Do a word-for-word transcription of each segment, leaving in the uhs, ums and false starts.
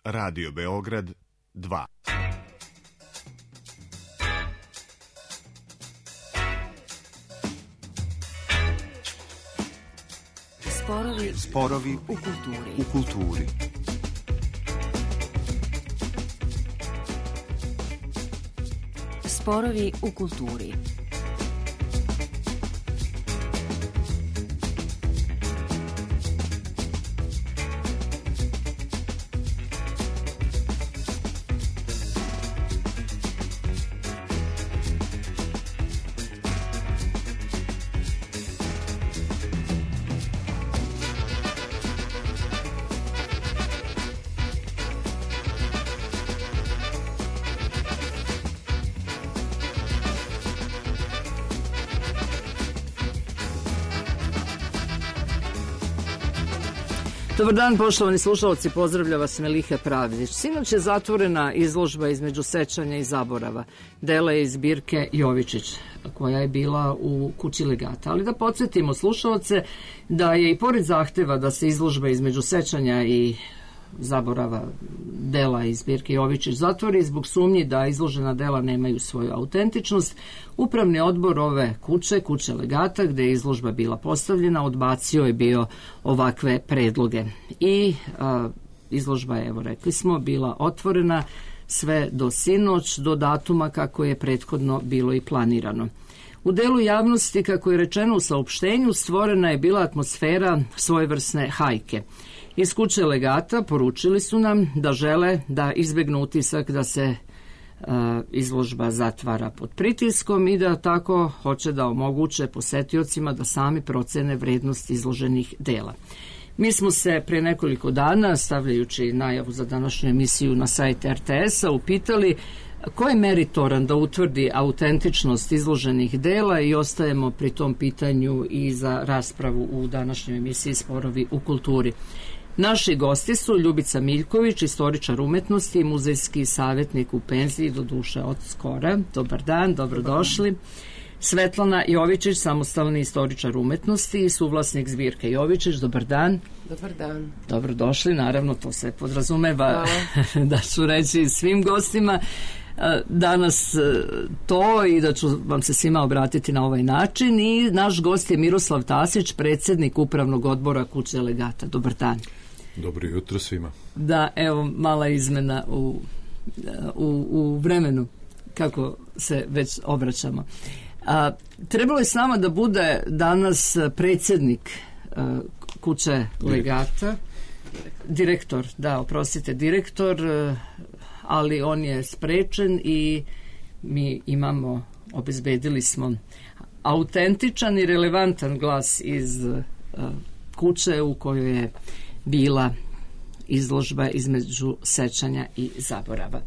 Radio Beograd dva. Sporovi, Sporovi u kulturi. U kulturi. Sporovi u kulturi. Dobar dan, poštovani slušalci, pozdravlja vas Meliha Pravdić. Sinoć je zatvorena izložba između sećanja i zaborava, dela iz zbirke Jovičić, koja je bila u kući Legata. Ali da podsjetimo slušalce da je i pored zahteva da se izložba između sećanja i zaborava dela iz zbirke Jovičić zatvori zbog sumnji da izložena dela nemaju svoju autentičnost, Upravni odbor ove kuće, kuće Legata, gde je izložba bila postavljena, odbacio je bio ovakve predloge. I a, izložba je, evo rekli smo, bila otvorena sve do sinoć, do datuma kako je prethodno bilo i planirano. U delu javnosti, kako je rečeno u saopštenju, stvorena je bila atmosfera svojevrsne hajke. Iz kuće Legata poručili su nam da žele da izbegnu utisak da se uh, izložba zatvara pod pritiskom i da tako hoće da omoguće posetiocima da sami procene vrednost izloženih dela. Mi smo se pre nekoliko dana, stavljajući najavu za današnju emisiju na sajt er te es-a, upitali ko je meritoran da utvrdi autentičnost izloženih dela i ostajemo pri tom pitanju i za raspravu u današnjoj emisiji Sporovi u kulturi. Naši gosti su Ljubica Miljković, istoričar umetnosti i muzejski savjetnik u penziji, do duše od skora. Dobar dan, dobrodošli. Svetlana Jovičić, samostalni istoričar umetnosti i suvlasnik zbirke Jovičić. Dobar dan. Dobar dan. Dobrodošli, naravno to se podrazumeva da ću reći svim gostima danas to i da ću vam se svima obratiti na ovaj način. I naš gost je Miroslav Tasić, predsjednik Upravnog odbora kuće Legata. Dobar dan. Dobro jutro svima. Da, evo mala izmena u, u, u vremenu kako se već obraćamo. A, trebalo je s nama da bude danas predsjednik a, kuće Legata, direktor, da, oprostite, direktor, ali on je sprečen i mi imamo, obezbedili smo autentičan i relevantan glas iz uh, kuće u kojoj je bila izložba između sećanja i zaborava.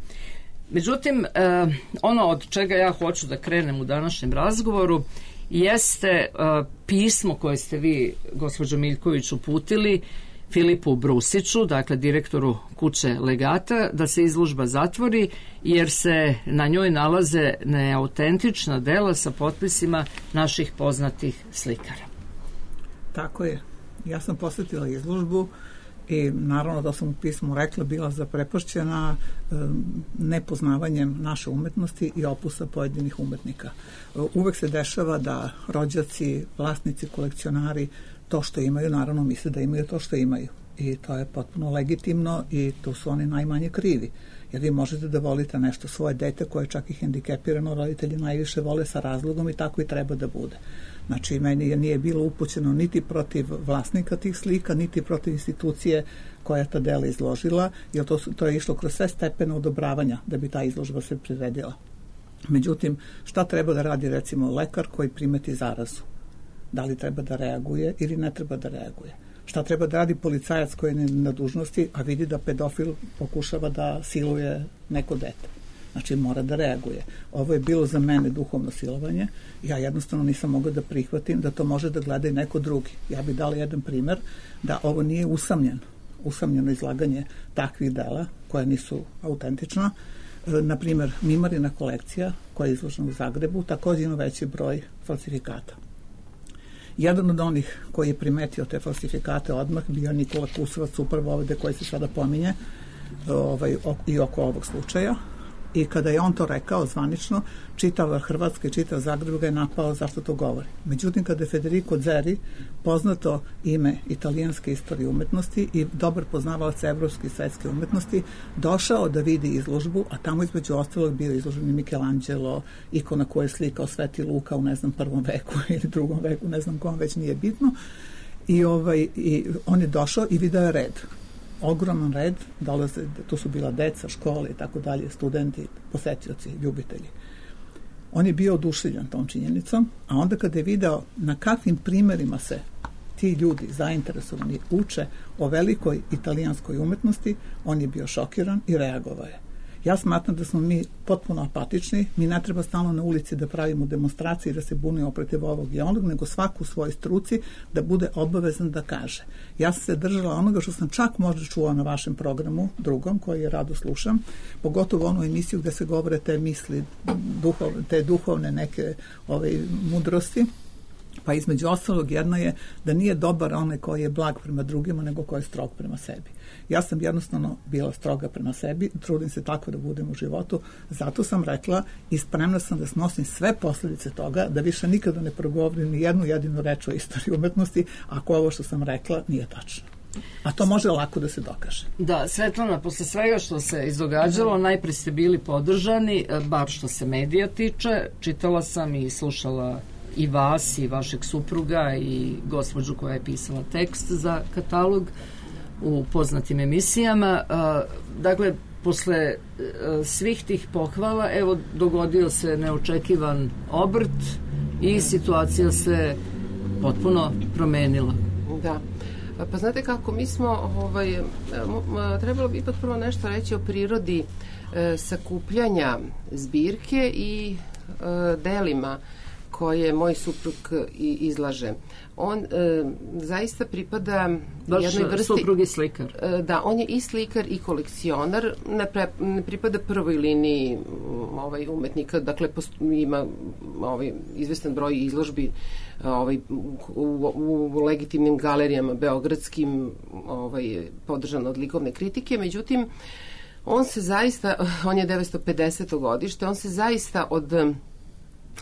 Međutim, uh, ono od čega ja hoću da krenem u današnjem razgovoru jeste uh, pismo koje ste vi, gospođo Miljković, uputili Filipu Brusiću, dakle direktoru kuće Legata, da se izložba zatvori jer se na njoj nalaze neautentična dela sa potpisima naših poznatih slikara. Tako je. Ja sam posjetila izložbu i naravno da sam u pismu rekla bila zaprepašćena um, nepoznavanjem naše umetnosti i opusa pojedinih umetnika. Uh, uvek se dešava da rođaci, vlasnici, kolekcionari to što imaju, naravno misle da imaju to što imaju. I to je potpuno legitimno i tu su oni najmanje krivi. Jer vi možete da volite nešto svoje dete koje je čak i hendikepirano, roditelji najviše vole sa razlogom i tako i treba da bude. Znači, meni nije bilo upućeno niti protiv vlasnika tih slika, niti protiv institucije koja je ta dela izložila, jer to, to je išlo kroz sve stepene odobravanja da bi ta izložba se priredila. Međutim, šta treba da radi recimo lekar koji primeti zarazu? Da li treba da reaguje ili ne treba da reaguje? Šta treba da radi policajac koji je na dužnosti, a vidi da pedofil pokušava da siluje neko dete? Znači, mora da reaguje. Ovo je bilo za mene duhovno silovanje. Ja jednostavno nisam mogla da prihvatim da to može da gleda i neko drugi. Ja bih dala jedan primer da ovo nije usamljen, usamljeno izlaganje takvih dela koja nisu autentična. Na primer, Mimarina kolekcija koja je izložena u Zagrebu također ima veći broj falsifikata. Jedan od onih koji je primetio te falsifikate odmah bio Nikola Kusovac, upravo ovde koji se sada pominje, ovaj, i oko ovog slučaja. I kada je on to rekao zvanično, čitava Hrvatska i čitav Zagreb ga je napao zašto to govori. Međutim, kada je Federico Zeri, poznato ime italijanske istorije umetnosti i dobar poznavalac evropske i svetske umetnosti, došao da vidi izložbu, a tamo između ostalog bio izložen i Michelangelo, ikona koja je slikao Sveti Luka u, ne znam, prvom veku ili drugom veku, ne znam kom, već nije bitno. I, ovaj, i on je došao i video je red. Ogroman red, dolaze, tu su bila deca, škole i tako dalje, studenti, posetioci, ljubitelji. On je bio oduševljen tom činjenicom, a onda kada je video na kakvim primerima se ti ljudi zainteresovani uče o velikoj italijanskoj umetnosti, on je bio šokiran i reagovao je. Ja smatram da smo mi potpuno apatični, mi ne treba stalno na ulici da pravimo demonstracije i da se bunimo protiv ovog i onog, nego svaku u svojoj struci da bude obavezan da kaže. Ja sam se držala onoga što sam čak možda čula na vašem programu, drugom, koji je rado slušam, pogotovo onu emisiju gde se govore te misli, duhovne, te duhovne neke ove, mudrosti. Pa između ostalog jedna je da nije dobar onaj koji je blag prema drugima, nego koji je strog prema sebi. Ja sam jednostavno bila stroga prema sebi, trudim se tako da budem u životu, zato sam rekla i spremna sam da snosim sve posljedice toga, da više nikada ne progovorim ni jednu jedinu reč o istoriji umetnosti, ako ovo što sam rekla nije tačno. A to može lako da se dokaže. Da, Svetlana, posle svega što se izdogađalo, najpre ste bili podržani, bar što se medija tiče, čitala sam i slušala i vas i vašeg supruga i gospođu koja je pisala tekst za katalog u poznatim emisijama. Dakle, posle svih tih pohvala, evo, dogodio se neočekivan obrt i situacija se potpuno promenila. Da. Pa znate kako, mi smo ovaj, trebalo bi ipak prvo nešto reći o prirodi e, sakupljanja zbirke i e, delima koje moj suprug izlaže. On e, zaista pripada Baš jednoj vrsti... suprug je slikar. E, da, on je i slikar i kolekcionar. Ne, pre, ne pripada prvoj liniji ovaj, umetnika. Dakle, post, ima ovaj, izvestan broj izložbi ovaj, u, u, u legitimnim galerijama beogradskim ovaj, podržan od likovne kritike. Međutim, on se zaista, on je devetsto pedeseto godište, on se zaista od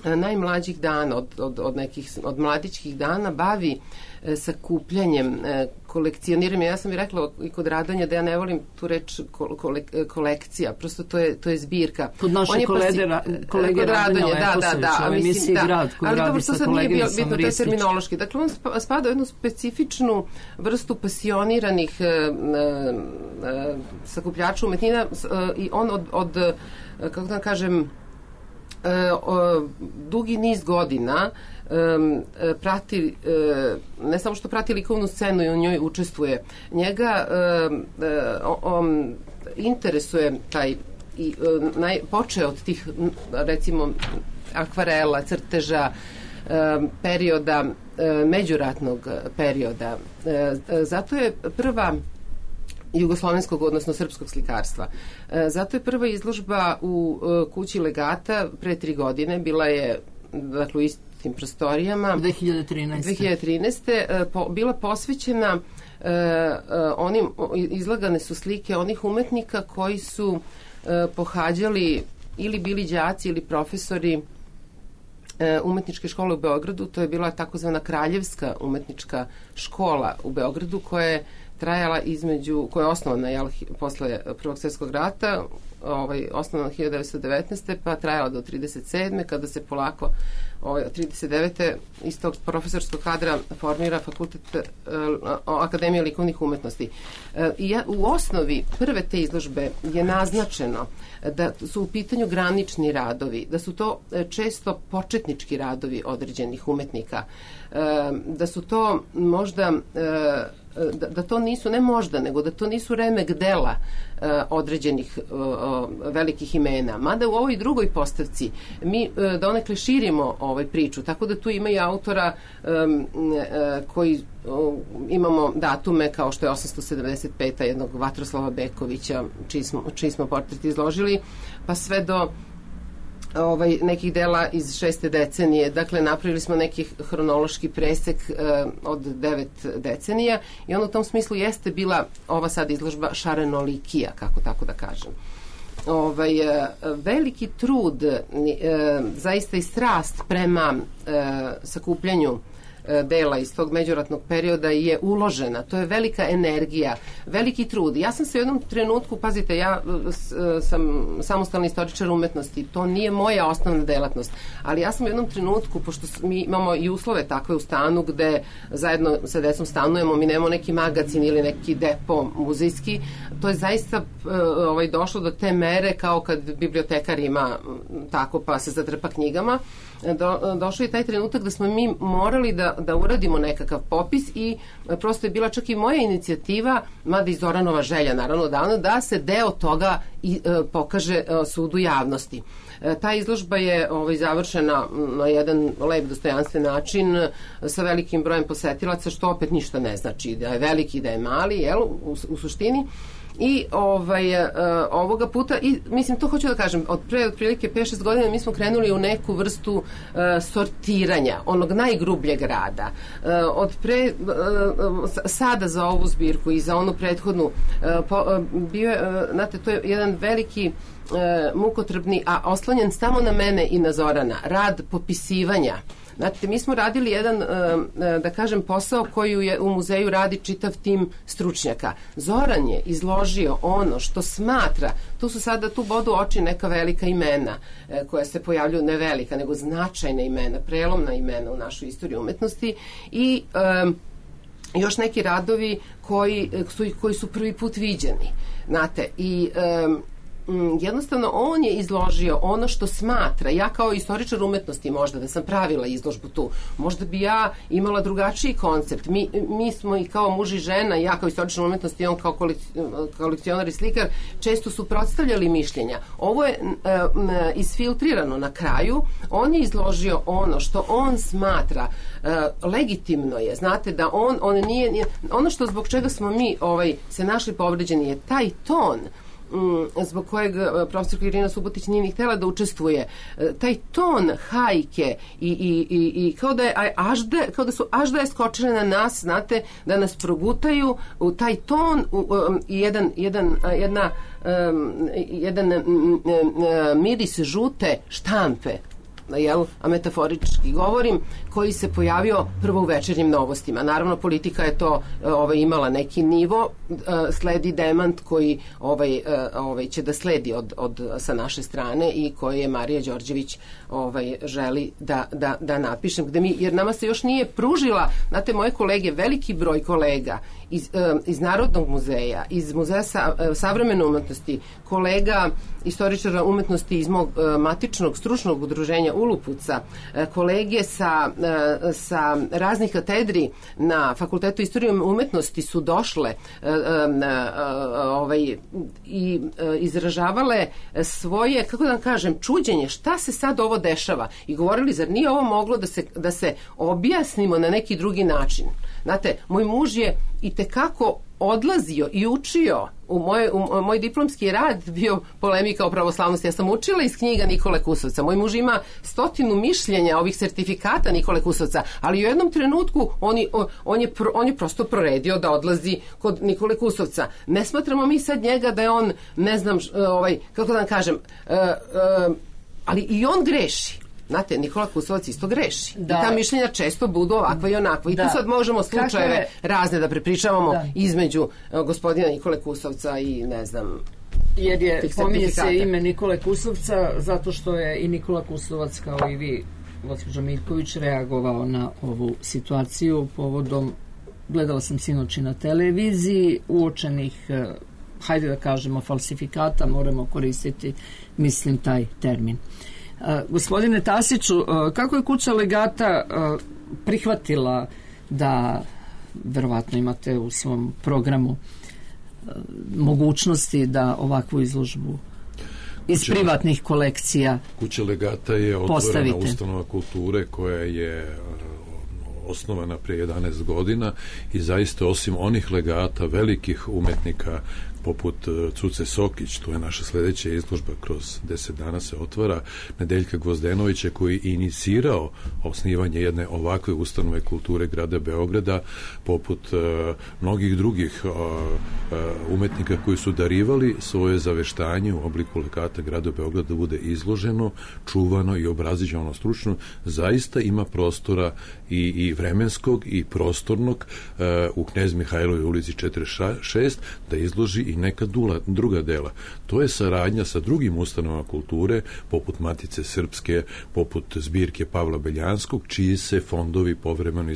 najmlađih dana, od, od, od nekih od mladićkih dana bavi e, sakupljanjem, e, kolekcioniranjem. Ja sam i rekla i kod Radanja da ja ne volim tu reč kole, kolekcija, prosto to je, to je zbirka. Kod naše kolege, kolege Radanja Leposovića, da, da, u emisiji da, Grad, koji ali radi dobro, sa to sad nije bio, koleginicom bitno, to je terminološki. Dakle, on spada u jednu specifičnu vrstu pasioniranih e, e, sakupljača umetnina e, i on od, od kako da kažem, Uh, uh, dugi niz godina um, prati, uh, ne samo što prati likovnu scenu i u njoj učestvuje, njega uh, uh, um, interesuje taj i uh, naj, počeo od tih, recimo, akvarela, crteža, uh, perioda, uh, međuratnog perioda. Uh, zato je prva jugoslovenskog, odnosno srpskog slikarstva. E, zato je prva izložba u e, kući Legata pre tri godine, bila je, dakle, u istim prostorijama. dve hiljade trinaeste. dve hiljade trinaeste. E, po, bila posvećena e, e, onim, izlagane su slike onih umetnika koji su e, pohađali ili bili đaci ili profesori e, umetničke škole u Beogradu. To je bila takozvana Kraljevska umetnička škola u Beogradu, koja je trajala između, koja je osnovana jel, posle Prvog svjetskog rata, ovaj, osnovana hiljadu devetsto devetnaeste. pa trajala do trideset sedme kada se polako ovaj, trideset devete iz tog profesorskog kadra formira fakultet eh, Akademije likovnih umetnosti. Eh, i ja, u osnovi prve te izložbe je naznačeno da su u pitanju granični radovi, da su to eh, često početnički radovi određenih umetnika, eh, da su to možda eh, Da, da to nisu, ne možda, nego da to nisu remek dela uh, određenih uh, velikih imena. Mada u ovoj drugoj postavci mi uh, donekle širimo ovaj priču, tako da tu ima i autora um, uh, koji uh, imamo datume kao što je osamsto sedamdeset peta jednog Vatroslava Bekovića, čiji smo, čiji smo portret izložili, pa sve do ovaj, nekih dela iz šeste decenije. Dakle, napravili smo neki hronološki presek uh, od devet decenija i on u tom smislu jeste bila ova sad izložba šarenolikija, kako tako da kažem. Ovaj, veliki trud, uh, zaista i strast prema uh, sakupljanju dela iz tog međuratnog perioda je uložena. To je velika energija, veliki trud. Ja sam se u jednom trenutku, pazite, ja sam samostalni istoričar umetnosti, to nije moja osnovna delatnost, ali ja sam u jednom trenutku, pošto mi imamo i uslove takve u stanu gde zajedno sa decom stanujemo, mi nemamo neki magazin ili neki depo muzejski, to je zaista ovaj, došlo do te mere kao kad bibliotekar ima tako pa se zatrpa knjigama. Do, došao je taj trenutak da smo mi morali da, da uradimo nekakav popis i prosto je bila čak i moja inicijativa, mada i Zoranova želja naravno davno, da se deo toga i, e, pokaže e, sudu javnosti. E, ta izložba je ovaj, završena na jedan lep, dostojanstven način sa velikim brojem posetilaca, što opet ništa ne znači da je veliki, da je mali, jel, u, u suštini. I ovaj, uh, ovoga puta, i mislim, to hoću da kažem, od pre otprilike pet šest godina mi smo krenuli u neku vrstu uh, sortiranja, onog najgrubljeg rada. Uh, od pre, uh, sada za ovu zbirku i za onu prethodnu, uh, po, uh, bio je, uh, znate, to je jedan veliki uh, mukotrpni, a oslonjen samo na mene i na Zorana, rad popisivanja. Znate, mi smo radili jedan, da kažem, posao koji je u muzeju radi čitav tim stručnjaka. Zoran je izložio ono što smatra, tu su sada, tu bodu oči neka velika imena koja se pojavljuju, ne velika, nego značajna imena, prelomna imena u našoj istoriji umetnosti i um, još neki radovi koji su, koji su prvi put viđeni. Znate, i um, jednostavno on je izložio ono što smatra. Ja kao istoričar umetnosti možda da sam pravila izložbu tu, možda bi ja imala drugačiji koncept. Mi, mi smo i kao muž i žena, ja kao istoričar umetnosti i on kao kolekcionar i slikar, često su predstavljali mišljenja. Ovo je uh, isfiltrirano na kraju. On je izložio ono što on smatra uh, legitimno je. Znate da on, on nije, nije ono što zbog čega smo mi ovaj, se našli povređeni je taj ton zbog kojeg profesorka Irina Subotić nije ni htjela da učestvuje. Taj ton hajke i, i, i, i kao da je ažde, kao da su aždaje skočile na nas, znate, da nas progutaju u taj ton u, um, jedan, jedan, jedna, um, jedan um, miris žute štampe, jel, a metaforički govorim, koji se pojavio prvo u Večernjim novostima. Naravno, politika je to ovaj, imala neki nivo, sledi demant koji ovaj, ovaj, će da sledi od, od, sa naše strane i koji je Marija Đorđević ovaj, želi da, da, da napišem, gde mi, jer nama se još nije pružila, znate, moje kolege, veliki broj kolega iz, iz Narodnog muzeja, iz Muzeja sa, savremene umetnosti, kolega istoričara umetnosti iz mog matičnog stručnog udruženja Ulupuca, kolege sa, sa raznih katedri na Fakultetu istorije umetnosti su došle ovaj, i izražavale svoje, kako da vam kažem, čuđenje, šta se sad ovo dešava i govorili, zar nije ovo moglo da se, da se objasnimo na neki drugi način. Znate, moj muž je i tekako odlazio i učio u moj, u moj diplomski rad bio polemika o pravoslavnosti. Ja sam učila iz knjiga Nikole Kusovca. Moj muž ima stotinu mišljenja ovih sertifikata Nikole Kusovca, ali u jednom trenutku on je, on je, on je prosto proredio da odlazi kod Nikole Kusovca. Ne smatramo mi sad njega da je on, ne znam, ovaj, kako da vam kažem, uh, uh, ali i on greši. Znate, Nikola Kusovac isto greši. Da. I ta mišljenja često budu ovakva i onakva. I da. Tu sad možemo slučajeve razne da prepričavamo da. Između uh, gospodina Nikole Kusovca i ne znam... Jer je, pominje se ime Nikole Kusovca zato što je i Nikola Kusovac kao i vi, gospođo Miljković, reagovao na ovu situaciju povodom, gledala sam sinoć na televiziji, uočenih, uh, hajde da kažemo, falsifikata, moramo koristiti, mislim, taj termin. Uh, gospodine Tasiću, uh, kako je kuća Legata uh, prihvatila da, verovatno imate u svom programu uh, mogućnosti da ovakvu izložbu iz kuća, privatnih kolekcija Kuća Legata je otvorena postavite. Ustanova kulture koja je uh, osnovana prije jedanaest godina i zaista osim onih legata velikih umetnika poput Cuce Sokić, to je naša sledeća izložba, kroz deset dana se otvara, Nedeljka Gvozdenovića, koji je inicirao osnivanje jedne ovakve ustanove kulture grada Beograda, poput uh, mnogih drugih uh, uh, umetnika koji su darivali svoje zaveštanje u obliku lekata grada Beograda da bude izloženo, čuvano i obraziđeno stručno. Zaista ima prostora i, i vremenskog i prostornog uh, u Knez Mihajlovoj ulici četrdeset šest da izloži i neka dula, druga dela. To je saradnja sa drugim ustanovama kulture, poput Matice Srpske, poput zbirke Pavla Beljanskog, čiji se fondovi povremeno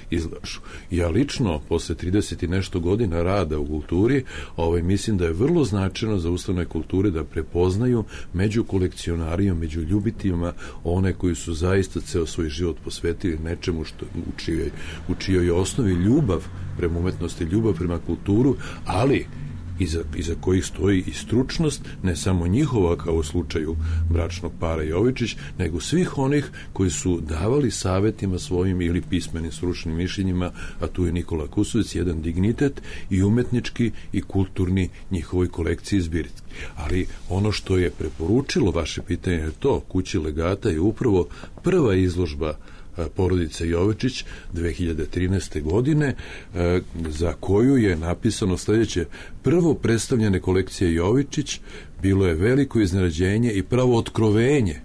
izlažu. Ja lično, posle trideset i nešto godina rada u kulturi, ovaj, mislim da je vrlo značajno za ustanove kulture da prepoznaju među kolekcionarijom, među ljubiteljima one koji su zaista ceo svoj život posvetili nečemu što u čijoj, u čijoj osnovi ljubav prema umetnosti, ljubav prema kulturu, ali iza, iza kojih stoji i stručnost, ne samo njihova kao u slučaju bračnog para Jovičić, nego svih onih koji su davali savetima svojim ili pismenim stručnim mišljenjima, a tu je Nikola Kusović, jedan dignitet i umetnički i kulturni njihovoj kolekciji zbirki. Ali ono što je preporučilo vaše pitanje je to, Kući legata je upravo prva izložba porodice Jovičić dve hiljade trinaeste. godine, za koju je napisano sledeće: prvo predstavljene kolekcije Jovičić bilo je veliko iznenađenje i pravo otkrovenje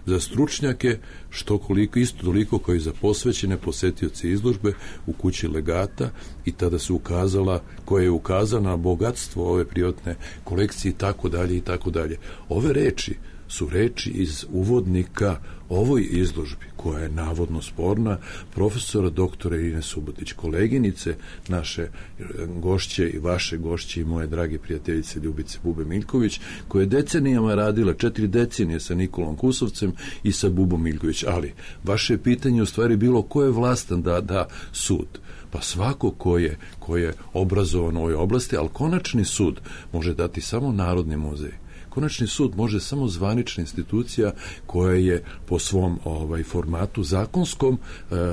za stručnjake, što koliko, isto toliko kao i za posvećene posetioce izložbe u Kući legata, i tada se ukazala, koja je ukazana na bogatstvo ove privatne kolekcije i tako dalje i tako dalje. Ove reči su reči iz uvodnika ovoj izložbi, koja je navodno sporna, profesora doktora Irine Subotić, koleginice naše gošće i vaše gošće i moje drage prijateljice Ljubice Bube Miljković, koja je decenijama radila, četiri decenije sa Nikolom Kusovcem i sa Bubom Miljković. Ali vaše pitanje u stvari bilo ko je vlastan da da sud. Pa svako ko je, ko je obrazovan u ovoj oblasti, ali konačni sud može dati samo Narodni muzej. Konačni sud može samo zvanična institucija koja je po svom ovaj formatu zakonskom e, e, e,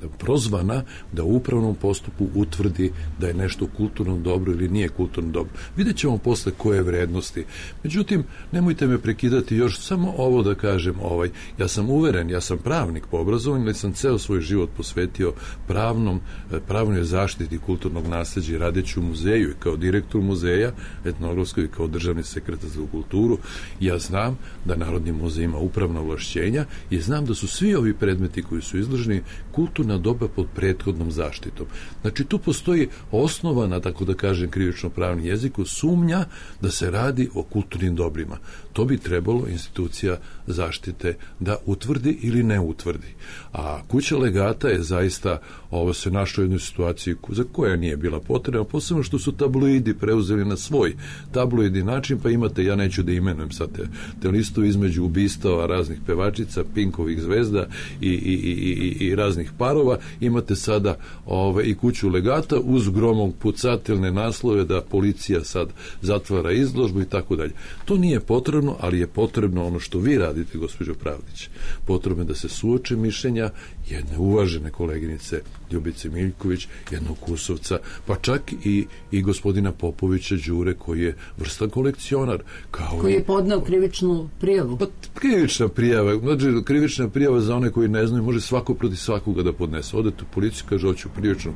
e, prozvana da u upravnom postupku utvrdi da je nešto kulturno dobro ili nije kulturno dobro. Vidjet ćemo posle koje vrednosti. Međutim, nemojte me prekidati, još samo ovo da kažem. Ovaj, ja sam uveren, ja sam pravnik po obrazovanju, ali sam ceo svoj život posvetio pravnom, pravnoj zaštiti kulturnog nasleđa i radeći u muzeju i kao direktor muzeja etnografskog kao državni sekretar za kulturu. Ja znam da Narodni muzej ima upravna ovlašćenja i znam da su svi ovi predmeti koji su izloženi kulturna doba pod prethodnom zaštitom. Znači, tu postoji osnovana, tako da kažem, krivično-pravni jeziku, sumnja da se radi o kulturnim dobrima. To bi trebalo institucija zaštite da utvrdi ili ne utvrdi. A Kuća legata je zaista, ovo se našlo u jednoj situaciji za koja nije bila potrebna, posebno što su tabloidi preuzeli na svoj tabloidni način, pa imate, ja neću da imenujem sad te, te listu između ubistava raznih pevačica, Pinkovih zvezda i, i, i, i, i raznih parova, imate sada ove, i Kuću legata uz gromom pucatelne naslove da policija sad zatvara izložbu i tako dalje. To nije potrebno, ali je potrebno ono što vi radite, gospođo Pravdić. Potrebno je da se suoče mišljenja jedne uvažene koleginice Ljubice Miljković, jednog Kusovca, pa čak i, i gospodina Popovića Đure, koji je vrstan kolekcionar. Kao koji je podneo krivičnu prijavu. Pa krivična prijava, znači krivična prijava za one koji ne znaju, može svako protiv svakoga da podnese. Odete u policiju, kaže, hoću krivičnu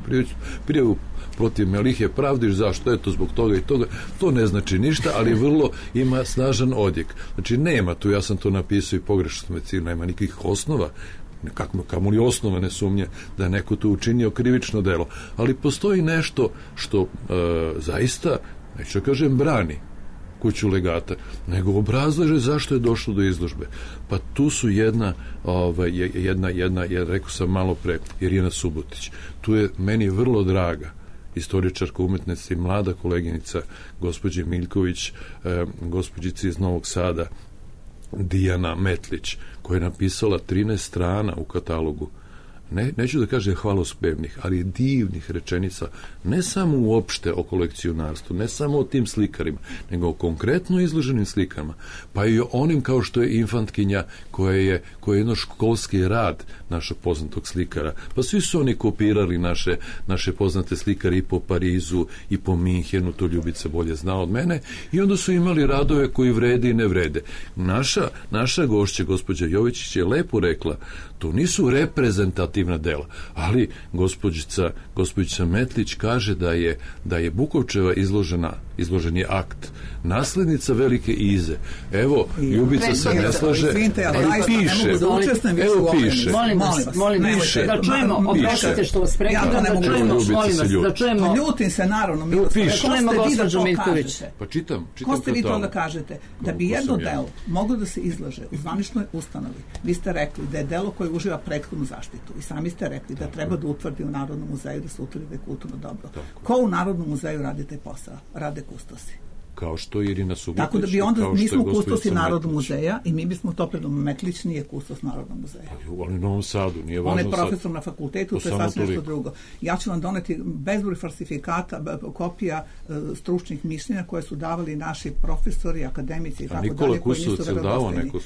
prijavu protiv Melihe Pravdić, zašto? Eto, zbog toga i toga. To ne znači ništa, ali vrlo ima snažan odjek. Znači, nema tu, ja sam to napisao i pogrešno medicinu, nema nikakvih osnova, nekako kamo li osnovane sumnje da je neko tu učinio krivično delo. Ali postoji nešto što e, zaista, neću da kažem, brani Kuću legata, nego obrazlaže zašto je došlo do izložbe. Pa tu su jedna, ovaj, jedna, jedna, ja rekao sam malo pre, Irina Subotić. Tu je meni vrlo draga istoričarka umetnosti, mlada koleginica gospođe Miljković, eh, gospođica iz Novog Sada, Dijana Metlić, koja je napisala trinaest strana u katalogu ne, neću da kažem hvalospevnih, ali divnih rečenica, ne samo uopšte o kolekcionarstvu, ne samo o tim slikarima, nego o konkretno izloženim slikama, pa i o onim kao što je Infantkinja, koja je, koja je jedno školski rad našeg poznatog slikara. Pa svi su oni kopirali naše, naše poznate slikare i po Parizu i po Minhenu, to Ljubica bolje zna od mene, i onda su imali radove koji vrede i ne vrede. Naša, naša gošća, gospođa Jovičić, je lepo rekla, to nisu reprezentativna dela, ali gospođica, gospođica Metlić kaže da je, da je Bukovčeva izložena, izložen je akt, naslednica Velike Ize. Evo, Ljubica se ne slaže, ali piše, evo piše. Molim vas, molim vas, da čujemo, oprošite što vas prekidam, da čujemo, molim vas, da čujemo. Ljutim se, naravno, da čujemo gospođu Miljković. Pa čitam, čitam. Ko ste vi to da kažete? Da bi jedno delo moglo da se izlože u zvaničnoj ustanovi, vi ste rekli da je delo koje uživa prethodnu zaštitu i sami ste rekli da treba da utvrdi u Narodnom muzeju, da se utvrdi da je kulturno dobro. Ko u Narodnom muzeju radi taj posao? Rade kustosi. Kao što Irina Subotić. Tako da bi onda, mi smo kustosi Narodnog muzeja i mi bismo to predom, Metlić nije kustos Narodnog muzeja. On je u Novom Sadu, nije važno. On je profesor sad na fakultetu, to je sasvim nešto drugo. Ja ću vam doneti bezbroj falsifikata, kopija uh, stručnih mišljenja koje su davali naši profesori, akademici i tako dalje. A Nikola Kusovac je dao neko...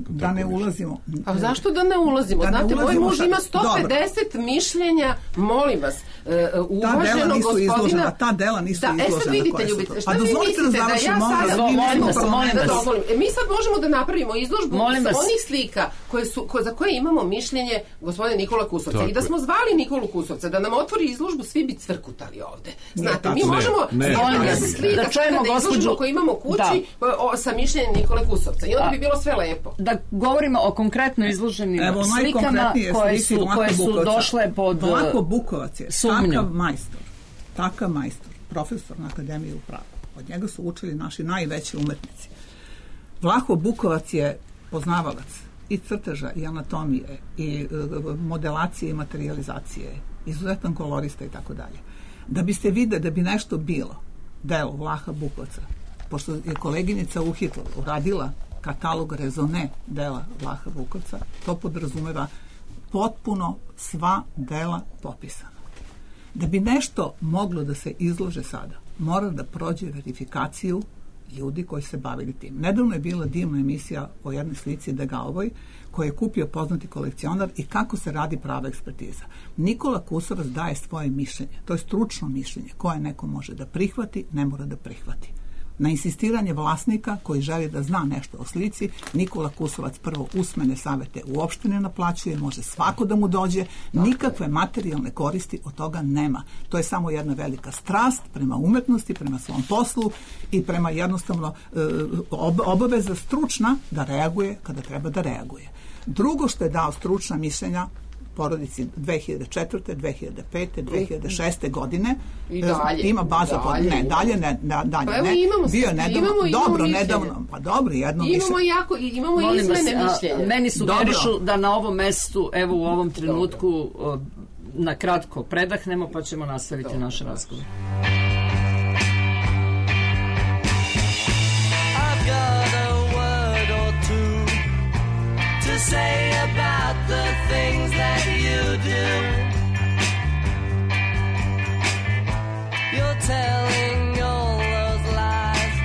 Da ne ulazimo. A zašto da ne ulazimo? Da ne Znate, ulazimo, moj muž šta... ima sto pedeset Dobro. Mišljenja, molim vas, uh, uvaženo gospodina... Izložena, ta dela nisu da, izložena. E sad vidite, Ljubice, šta pa vi mislite da, da ja sada... Molim vas, molim vas. E, mi sad možemo da napravimo izložbu onih slika koje su, ko, za koje imamo mišljenje gospodina Nikola Kusovca. I da smo zvali Nikolu Kusovca da nam otvori izložbu, svi bi cvrkutali ovde. Znate, mi možemo slika da izložbu koju imamo kući sa mišljenjem Nikole Kusovca. I onda bi bilo sve lepo. Da govorimo o konkretno izloženim Evo, slikama koje su, koje su došle pod Vlaho Bukovac je sumnju. Takav majstor, takav majstor, profesor na Akademiji u pravu. Od njega su učili naši najveći umetnici. Vlaho Bukovac je poznavalac i crteža i anatomije i modelacije i materializacije, izuzetan kolorista i tako dalje. Da biste videli da bi nešto bilo delo Vlaha Bukovca, pošto je koleginica u Hitler uradila katalog rezone dela Vlaha Bukovca, to podrazumeva potpuno sva dela popisana. Da bi nešto moglo da se izlože sada, mora da prođe verifikaciju ljudi koji se bavili tim. Nedavno je bila divna emisija o jednoj slici Degalovoj koju je kupio poznati kolekcionar i kako se radi prava ekspertiza. Nikola Kusovac daje svoje mišljenje. To je stručno mišljenje koje neko može da prihvati, ne mora da prihvati. Na insistiranje vlasnika koji želi da zna nešto o slici, Nikola Kusovac prvo usmene savete uopšte ne naplaćuje, može svako da mu dođe, nikakve materijalne koristi od toga nema. To je samo jedna velika strast prema umetnosti, prema svom poslu i prema jednostavno obaveza stručna da reaguje kada treba da reaguje. Drugo što je dao stručna mišljenja porodici dve hiljade četvrte, dve hiljade pete, dve hiljade šeste godine. I dalje. Ima baza pod... Ne, dalje ne. ne dalje pa evo ne. imamo, Bio je nedavno, imamo, imamo dobro, mišljenje. nedavno, pa dobro, jedno imamo mišljenje. Jako, imamo Molim izmene vas, mišljenja. A, meni sugerišu da na ovom mestu, evo u ovom trenutku, o, na kratko predahnemo, pa ćemo nastaviti dobro, naš razgovor. I've got a word or two to say about the things that you do. You're telling all those lies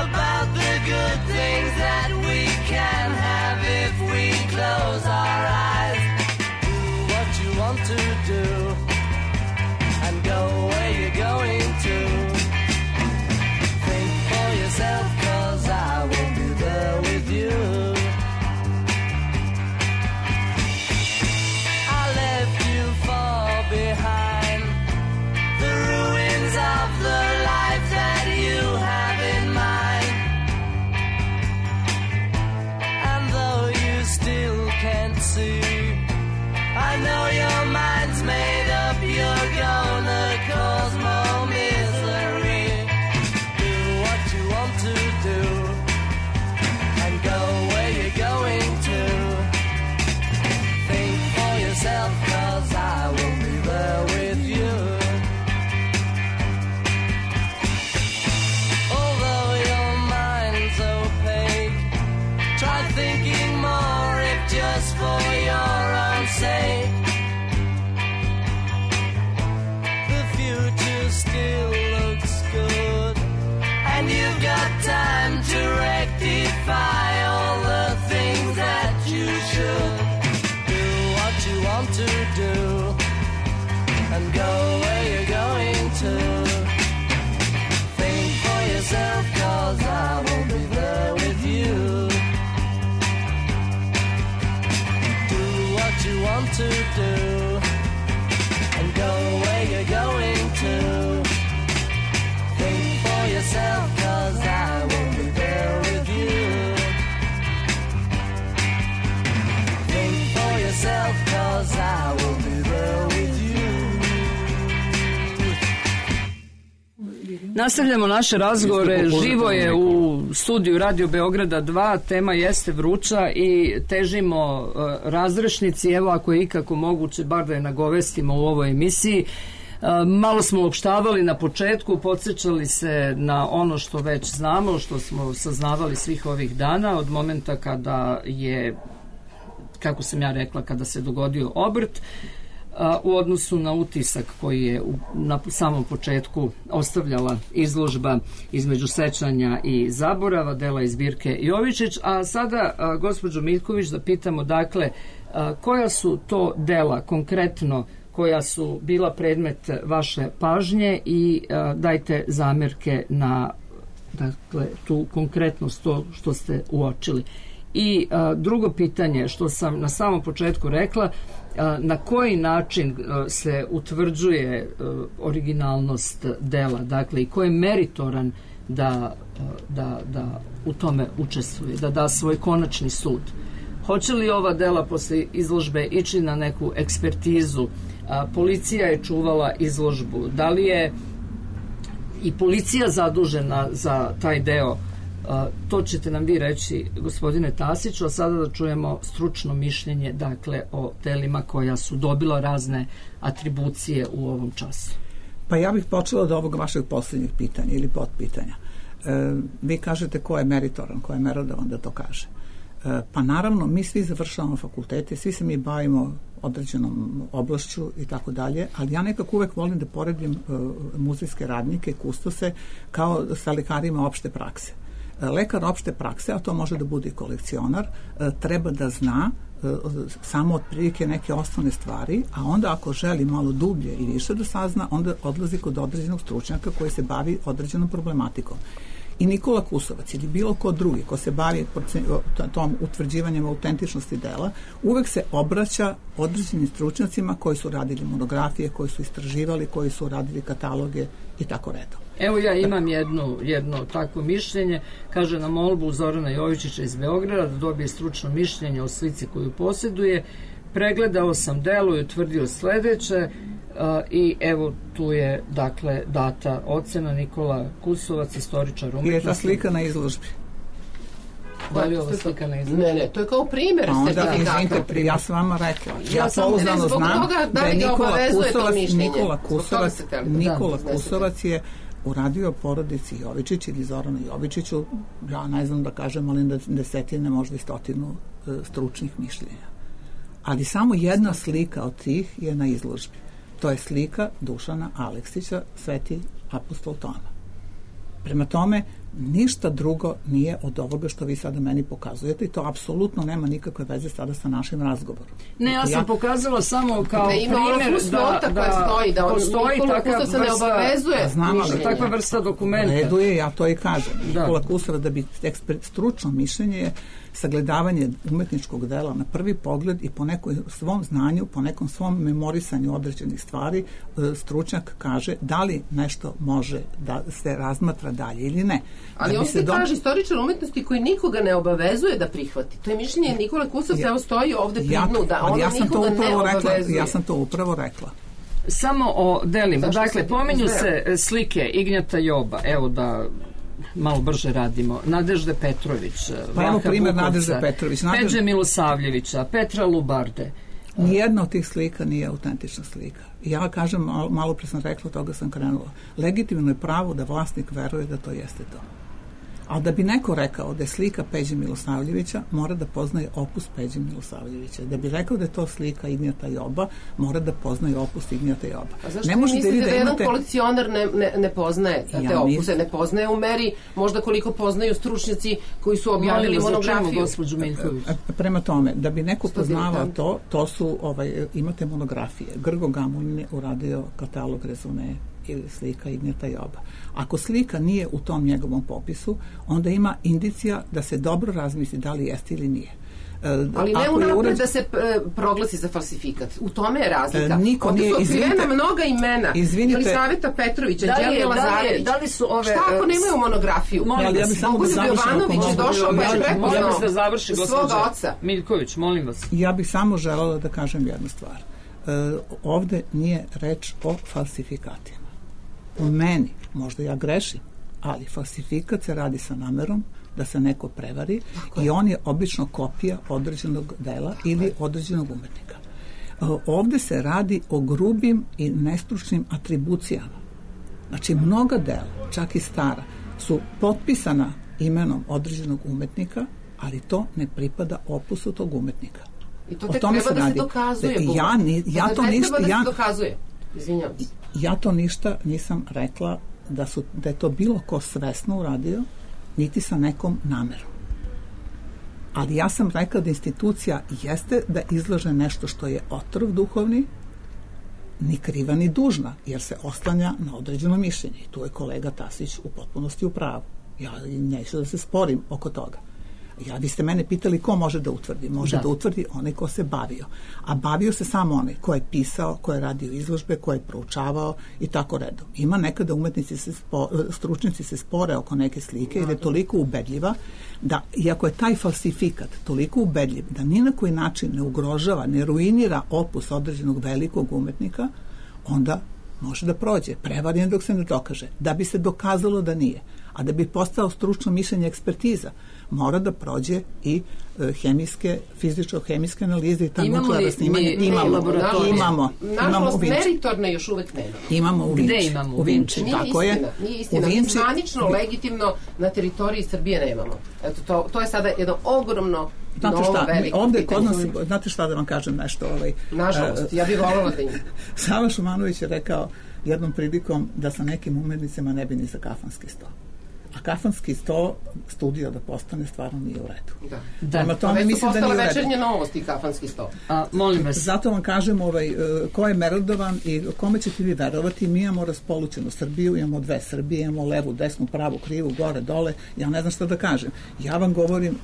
about the good things that we can have if we close our eyes. Do what you want to do and go where you're going. defy all the things that you should. Do what you want to do and go where you're going to. Think for yourself, 'cause I will be there with you. Do what you want to do and go where you're going to. Think for yourself, 'cause I will be there with you. Think for yourself, 'cause I will be there with you. Nastavljamo naše razgovore, živo je u studiju Radio Beograda dva, tema jeste vruća i težimo uh, razrešnici, evo ako je ikako moguće, bar da je nagovestimo u ovoj emisiji. Uh, malo smo opštavali na početku, podsjećali se na ono što već znamo, što smo saznavali svih ovih dana, od momenta kada je, kako sam ja rekla, kada se dogodio obrt, u odnosu na utisak koji je na samom početku ostavljala izložba između sećanja i zaborava, dela iz zbirke Jovičić. A sada, gospođo Miljković, da pitamo, dakle, koja su to dela konkretno koja su bila predmet vaše pažnje i dajte zamerke na, dakle, tu konkretnost, to što ste uočili. I a, drugo pitanje, što sam na samom početku rekla, a, na koji način a, se utvrđuje a, originalnost dela, dakle, i ko je meritoran da, a, da, da u tome učestvuje, da da svoj konačni sud. Hoće li ova dela posle izložbe ići na neku ekspertizu? A, policija je čuvala izložbu. Da li je i policija zadužena za taj deo? Uh, to ćete nam vi reći, gospodine Tasiću, a sada da čujemo stručno mišljenje, dakle, o telima koja su dobila razne atribucije u ovom času. Pa ja bih počela od ovog vašeg posljednjeg pitanja ili potpitanja. E, vi kažete ko je meritoran, ko je merodavan da to kaže. E, pa naravno, mi svi završavamo fakultete, svi se mi bavimo određenom oblašću i tako dalje, ali ja nekako uvek volim da poredim e, muzejske radnike, kustose, kao sa lekarima opšte prakse. Lekar opšte prakse, a to može da bude i kolekcionar, treba da zna samo otprilike neke osnovne stvari, a onda ako želi malo dublje i više da sazna, onda odlazi kod određenog stručnjaka koji se bavi određenom problematikom. I Nikola Kusovac ili bilo ko drugi ko se bavi tom utvrđivanjem autentičnosti dela, uvek se obraća određenim stručnjacima koji su radili monografije, koji su istraživali, koji su radili kataloge i tako redom. Evo ja imam jedno, jedno takvo mišljenje, kaže na molbu Zorana Jovičića iz Beograda da dobije stručno mišljenje o slici koju posjeduje. Pregledao sam delo i utvrdio sledeće, Uh, i evo tu je, dakle, data ocena Nikola Kusovac, istoričar umetnosti. Je ta slika na izložbi? Da li je ova slika na izložbi? Ne, ne, to je kao primjer sertifikata. Ja sam vama rekla. Ja, ja pouzdano znam toga, da, da je Nikola Kusovac, Nikola Kusovac, Nikola Kusovac je uradio porodici Jovičić ili Zoranu Jovičiću, ja ne znam da kažem, ali da desetine, možda i stotinu uh, stručnih mišljenja. Ali samo jedna slika od tih je na izložbi. To je slika Dušana Aleksića, Sveti apostol Toma. Prema tome, ništa drugo nije od ovoga što vi sada meni pokazujete i to apsolutno nema nikakve veze sada sa našim razgovorom. Ne, ja sam ja... pokazala samo kao ne, primjer da, da, da stoji, da postoji takva se ne obavezuje. Znam, ali takva vrsta dokumenta. Reduje, ja to i kažem. Da. Nikola Kusovac da bi ekspert, stručno mišljenje je sagledavanje umetničkog dela na prvi pogled i po nekom svom znanju, po nekom svom memorisanju određenih stvari, stručnjak kaže da li nešto može da se razmatra dalje ili ne. Ali da on se do... kaže istoričar umetnosti koji nikoga ne obavezuje da prihvati. To je mišljenje Nikole Kusovca, ja, evo stoji ovde pri dnu, da ona ja nikoga ne rekla, obavezuje. ja sam to upravo rekla. Samo o delima. Zašto dakle, se pominju se slike Ignjata Joba, evo da malo brže radimo, Nadežde Petrović, pa evo primjer Bukovca, Nadežde Petrović, Nadež... Peđe Milosavljevića, Petra Lubarde. Nijedna od tih slika nije autentična slika. Ja kažem, malo, malo pre sam rekla, toga sam krenula. Legitimno je pravo da vlasnik veruje da to jeste to. Ali da bi neko rekao da je slika Peđe Milosavljevića, mora da poznaje opus Peđe Milosavljevića. Da bi rekao da je to slika Ignjata Joba, mora da poznaje opus Ignjata Joba. A zašto ne vi mislite da, da jedan imate... kolekcionar ne, ne, ne poznaje te ja opuse? Mislim... Ne poznaje u meri možda koliko poznaju stručnjaci koji su objavili monografiju. Gospođu Miljković. Prema tome, da bi neko poznavao to, to su, ovaj, imate monografije. Grgo Gamulin je uradio katalog rezone ili slika Ignjata Joba. Ako slika nije u tom njegovom popisu, onda ima indicija da se dobro razmisli da li jeste ili nije. Ali ne unapred urad... da se uh, proglasi za falsifikat. U tome je razlika. Uh, niko Ovdje nije, su otkrivena izvinite, mnoga imena. Izvinite. Jelisaveta Petrović, Anđelija Lazarević. Da li su ove... Šta ako nemaju monografiju? Molim ja, ja bih samo da završim. Jovanović je došao pa je prepoznao da završi svoga oca. Miljković, molim vas. Ja bih samo želela da kažem jednu stvar. Uh, ovde nije reč o falsifikatima. U meni, možda ja grešim, ali falsifikat se radi sa namerom da se neko prevari i on je obično kopija određenog dela ili određenog umetnika. Ovde se radi o grubim i nestručnim atribucijama. Znači, mnoga dela, čak i stara, su potpisana imenom određenog umetnika, ali to ne pripada opusu tog umetnika. I to tek treba da se dokazuje. Ja, ni, ja to ništa... Da ja, se dokazuje. Izvinjam se. Ja to ništa nisam rekla da, su, da je to bilo ko svesno uradio, niti sa nekom namerom. Ali ja sam rekla da institucija jeste da izlaže nešto što je otrov duhovni, ni kriva ni dužna, jer se oslanja na određeno mišljenje. I tu je kolega Tasić u potpunosti u pravu. Ja neću da se sporim oko toga. Ja, vi ste mene pitali ko može da utvrdi. Može da, da utvrdi onaj ko se bavio. A bavio se samo onaj ko je pisao, ko je radio izložbe, ko je proučavao i tako redom. Ima nekada umetnici, se spo, stručnjaci se spore oko neke slike jer je toliko ubedljiva da, iako je taj falsifikat toliko ubedljiv, da ni na koji način ne ugrožava, ne ruinira opus određenog velikog umetnika, onda može da prođe. Prevaren dok se ne dokaže. Da bi se dokazalo da nije. A da bi postao stručno mišljenje ekspertiza, mora da prođe i uh, hemijske, fizičko-hemijske analize i ta nuklearna snimanja. Imamo, imamo. Nažalost, meritorne još uvek nema. Imamo u Vinči. Gde imamo u Vinči? Nije tako istina, je. nije istina. Vinči, zvanično, legitimno na teritoriji Srbije nemamo. Eto, to, to je sada jedno ogromno Znate šta, ovde kod nas, znate šta da vam kažem nešto? Ovaj, Nažalost, ja bih voljela da ima. Sava Šumanović je rekao jednom prilikom da sa nekim umetnicima ne bi ni za kafanski sto. A kafanski sto studio da postane stvarno nije u redu. Da. Da. Prema tome mislim da nije u redu. Večernje novosti kafanski sto. A, molim vas. Zato vam kažem ovaj, ko je merodovan i kome ćete vi verovati, mi imamo raspolućenu Srbiju, imamo dve Srbije, imamo levu, desnu, pravu, krivu, gore, dole, ja ne znam šta da kažem. Ja vam govorim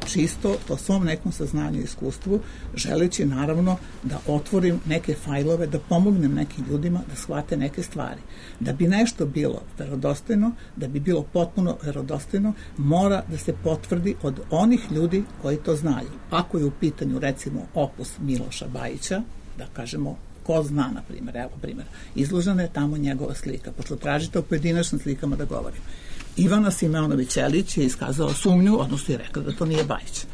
čisto po svom nekom saznanju i iskustvu, želeći naravno da otvorim neke fajlove, da pomognem nekim ljudima da shvate neke stvari. Da bi nešto bilo verodostojno, da bi bilo potpuno verodostojno, mora da se potvrdi od onih ljudi koji to znaju. Ako je u pitanju recimo opus Miloša Bajića, da kažemo ko zna, na primjer, evo primjer, izložena je tamo njegova slika, pošto tražite o pojedinačnim slikama da govorim. Ivana Simeonović-Ćelić je iskazala sumnju, odnosno je rekla da to nije Bajić.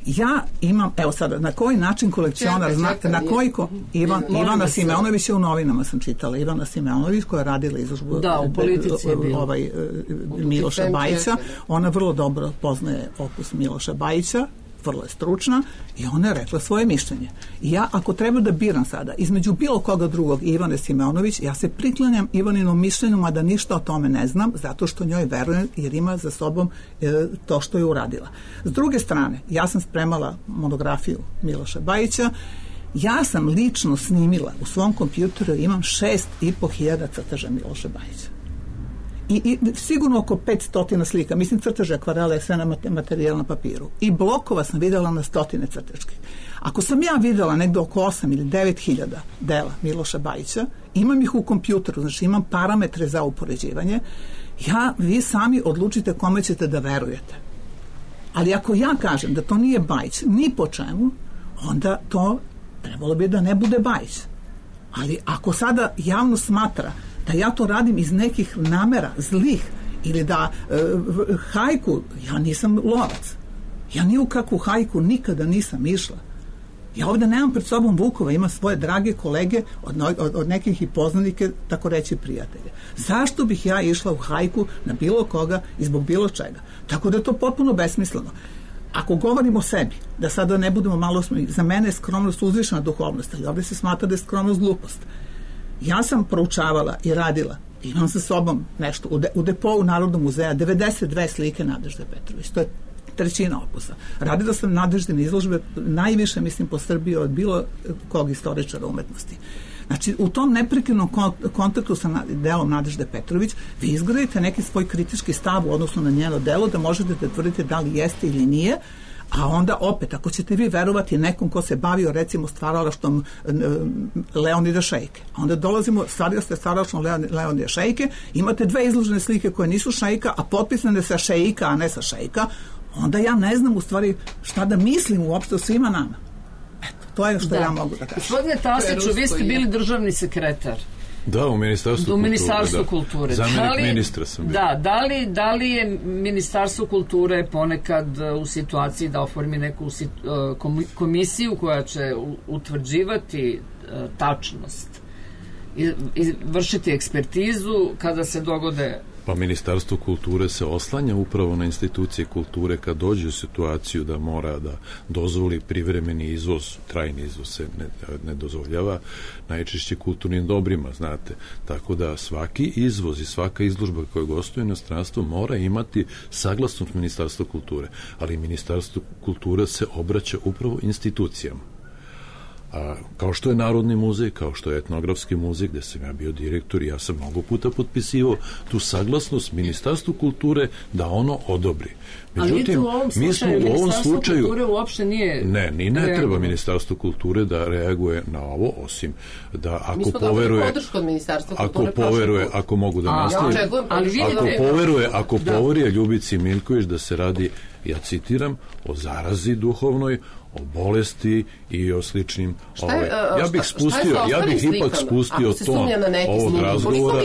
Ja imam, evo sada, na koji način kolekcionar, znate, na koji ko, Ivan, Ivana Simeonović je u novinama sam čitala, Ivana Simeonović koja je radila izložbu da, u politici je bilo. Ovaj, Miloša Bajića, ona vrlo dobro poznaje opus Miloša Bajića, vrlo je stručna i ona je rekla svoje mišljenje. I ja, ako treba da biram sada između bilo koga drugog Ivane Simeonović, ja se priklanjam Ivaninom mišljenju, mada ništa o tome ne znam, zato što njoj verujem jer ima za sobom e, to što je uradila. S druge strane, ja sam spremala monografiju Miloša Bajića, ja sam lično snimila u svom kompjuteru, imam šest i po hiljada crteža Miloša Bajića. I, i sigurno oko petsto slika, mislim crteže, akvarele, sve na materijal na papiru. I blokova sam videla na stotine crteških. Ako sam ja videla negde oko osam ili devet hiljada dela Miloša Bajića, imam ih u kompjuteru, znači imam parametre za upoređivanje, ja, vi sami odlučite kome ćete da verujete. Ali ako ja kažem da to nije Bajić, ni po čemu, onda to trebalo bi da ne bude Bajić. Ali ako sada javno smatra da ja to radim iz nekih namera zlih ili da e, hajku, ja nisam lovac, ja ni u kakvu hajku nikada nisam išla, Ja ovde nemam pred sobom Vukova, ima svoje drage kolege od, od, od nekih i poznanike, tako reći prijatelje. Zašto bih ja išla u hajku na bilo koga i zbog bilo čega? Tako da je to potpuno besmisleno. Ako govorimo o sebi, da sada ne budemo malo, za mene je skromnost uzvišena duhovnost, ali ovde se smatra da je skromnost glupost. Ja sam proučavala i radila, imam sa sobom nešto, u, de, u depou Narodnog muzeja, devedeset dve slike Nadežde Petrović, to je trećina opusa. Radila sam Nadeždine izložbe najviše, mislim, po Srbiji od bilo kog istoričara umetnosti. Znači, u tom neprekidnom kontaktu sa delom Nadežde Petrović vi izgradite neki svoj kritički stav u odnosu na njeno delo, da možete da tvrdite da li jeste ili nije, a onda opet, ako ćete vi verovati nekom ko se bavio recimo stvaralaštvom Leonida Šejke, onda dolazimo, stvario ste stvaralaštvom Leonida Šejke, imate dve izložene slike koje nisu Šejka, a potpisane sa Šejka, a ne sa Šejka, onda ja ne znam u stvari šta da mislim uopšte o svima nama. Eto, to je što da. ja mogu da kažem. Gospodine Tasiću, vi ste bili državni sekretar. Da, u Ministarstvu u kulture. Ministarstvu da. kulture. Zamenik da li, ministra sam bio. Da, da li, da li je Ministarstvo kulture ponekad u situaciji da oformi neku komisiju koja će utvrđivati tačnost i, i vršiti ekspertizu kada se dogode... Pa Ministarstvo kulture se oslanja upravo na institucije kulture kad dođe u situaciju da mora da dozvoli privremeni izvoz, trajni izvoz se ne, ne dozvoljava, najčešće kulturnim dobrima, znate. Tako da svaki izvoz i svaka izložba koja gostuje u inostranstvu mora imati saglasnost Ministarstva kulture, ali Ministarstvo kulture se obraća upravo institucijama. A, kao što je Narodni muzej, kao što je Etnografski muzej, gde sam ja bio direktor i ja sam mnogo puta potpisivao tu saglasnost Ministarstvu kulture da ono odobri. Međutim, mi smo u ovom slučaju kulture uopšte nije ne, ni ne treba Ministarstvo kulture da reaguje na ovo, osim da ako poveruje ako poveruje, ako mogu da nastavim, ako poveruje, ako poveruje Ljubici Miljković da se radi, ja citiram, o zarazi duhovnoj, o bolesti i o sličnim ovaj, ja bih spustio ja bih ipak spustio ton ovog razgovora.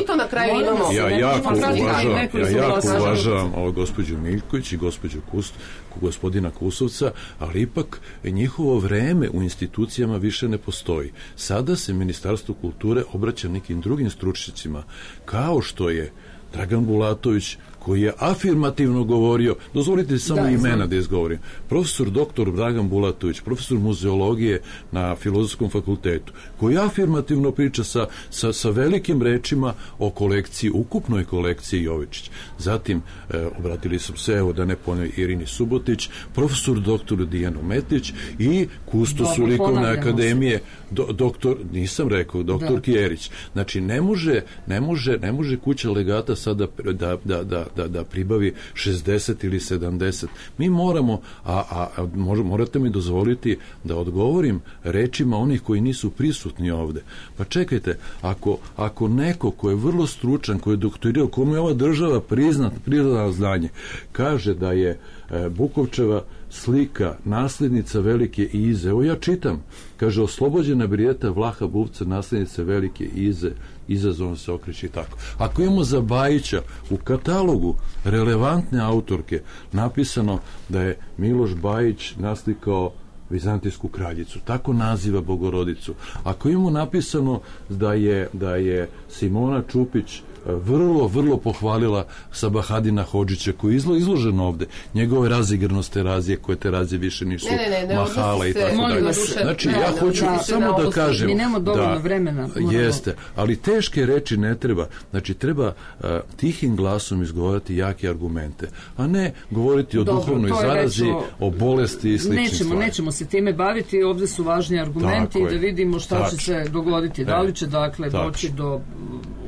Ja jako uvažavam ja jako uvažavam ovo gospođu Miljković i gospođu Kust, gospodina Kusovca, ali ipak njihovo vreme u institucijama više ne postoji. Sada se Ministarstvo kulture obraća nekim drugim stručnjacima, kao što je Dragan Bulatović, koji je afirmativno govorio, dozvolite samo da, imena znam. da izgovorim, profesor doktor Dragan Bulatović, profesor muzeologije na Filozofskom fakultetu, koji afirmativno priča sa, sa, sa velikim rečima o kolekciji, ukupnoj kolekciji Jovičić. Zatim, e, obratili sam se, evo da ne ponavljam, Irini Subotić, profesor doktor Dijanu Metić i kustos likovne akademije, do, doktor, nisam rekao, doktor da. Kjerić. Znači, ne može, ne može, ne može kuća legata sada da, da, da Da, da pribavi šezdeset ili sedamdeset. Mi moramo, a, a, a morate mi dozvoliti da odgovorim rečima onih koji nisu prisutni ovde. Pa čekajte, ako, ako neko ko je vrlo stručan, ko je doktorirao, komu je ova država priznat, priznala znanje, kaže da je e, Bukovčeva slika naslednica Velike Ize, evo ja čitam, kaže, oslobođena Brijeta Vlaha Buvca, naslednica Velike Ize, izazovno se okreće i tako. Ako imamo za Bajića u katalogu relevantne autorke napisano da je Miloš Bajić naslikao Vizantijsku kraljicu, tako naziva Bogorodicu. Ako imamo napisano da je, da je Simona Čupić vrlo, vrlo pohvalila Sabahadina Hodžića koji je izlo, izložen ovde, njegove razigrnost terazije, koje terazije više nisu ne, ne, ne, mahala i tako dalje. Znači, ja hoću da, samo da, da kažem mi nemamo dovoljno da, vremena. Jeste, ali teške reči ne treba. Znači, treba uh, tihim glasom izgovoriti jake argumente, a ne govoriti o Dobro, duhovnoj zarazi, o, o bolesti i sličnim nećemo, stvarima. Nećemo se time baviti, ovde su važni argumenti i da vidimo šta Tač. će se dogoditi. Da li će, dakle, Tač. doći do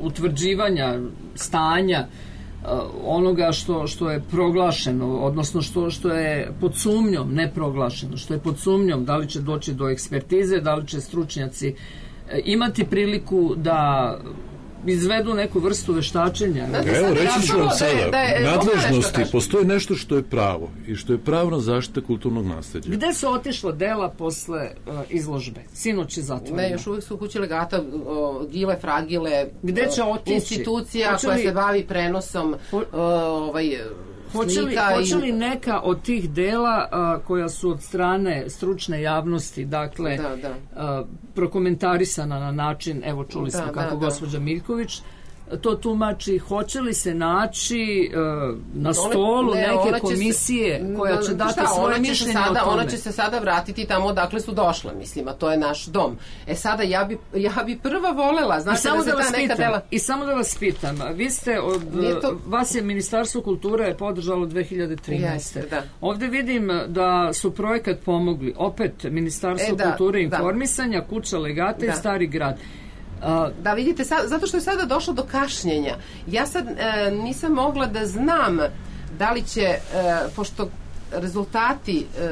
utvrđivanja stanja uh, onoga što, što je proglašeno, odnosno što, što je pod sumnjom, ne proglašeno, što je pod sumnjom, da li će doći do ekspertize, da li će stručnjaci uh, imati priliku da izvedu neku vrstu veštačenja. Evo, reći ću vam sada, da je, nadležnosti, postoji nešto što je pravo i što je pravna zaštita kulturnog nasleđa. Gde su otišla dela posle uh, izložbe? Sinoć je zatvoreno. Ne, još uvijek su u kući legata o, gile, fragile, Gde će otići? Institucija koja li... se bavi prenosom o, ovaj, Hoće li, slika hoće li i... neka od tih dela a, koja su od strane stručne javnosti, dakle, Da, da. a, prokomentarisana na način, evo čuli smo Da, kako da, da. gospođa Miljković to tumači, hoće li se naći uh, na stolu ne, neke ona će komisije se, koja će no, dati šta, svoje ona će se mišljenje sada, o tome? Ona će se sada vratiti tamo odakle su došle, mislim, a to je naš dom. E sada, ja bi, ja bi prva volela, I znate samo da se da vas ta neka pitam, dela... i samo da vas pitam, vi ste od, to- vas je Ministarstvo kulture podržalo dve hiljade trinaeste. Jeste, da. Ovde vidim da su projekat pomogli, opet Ministarstvo E, da, kulture i da. informisanja, Kuća legata i Da. Stari grad. A, Da, vidite, sad, zato što je sada došlo do kašnjenja. Ja sad e, nisam mogla da znam da li će, e, pošto rezultati e,